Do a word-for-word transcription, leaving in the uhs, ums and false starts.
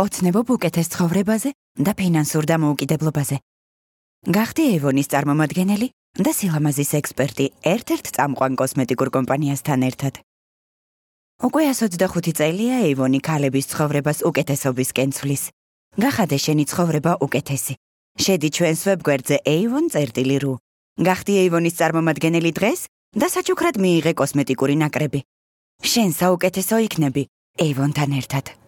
ოცნებობ უკეთეს ცხოვრებაზე და ფინანსურ დამოუკიდებლობაზე. გახდი Avon-ის წარმომადგენელი და სილამაზის ექსპერტი ერთ-ერთ წამყვან კოსმეტიკურ კომპანიასთან ერთად. უკვე ას ოცდახუთი წელია Avon-ი ქალების ცხოვრებას უკეთესობისკენ ცვლის. გახადე შენი ცხოვრება უკეთესი. შედი ჩვენს ვებგვერდზე avon წერტილი ru. გახდი Avon-ის წარმომადგენელი დღეს და საჩუქრად მიიღე კოსმეტიკური ნაკრები. შენ საუკეთესო იქნები Avon-თან ერთად.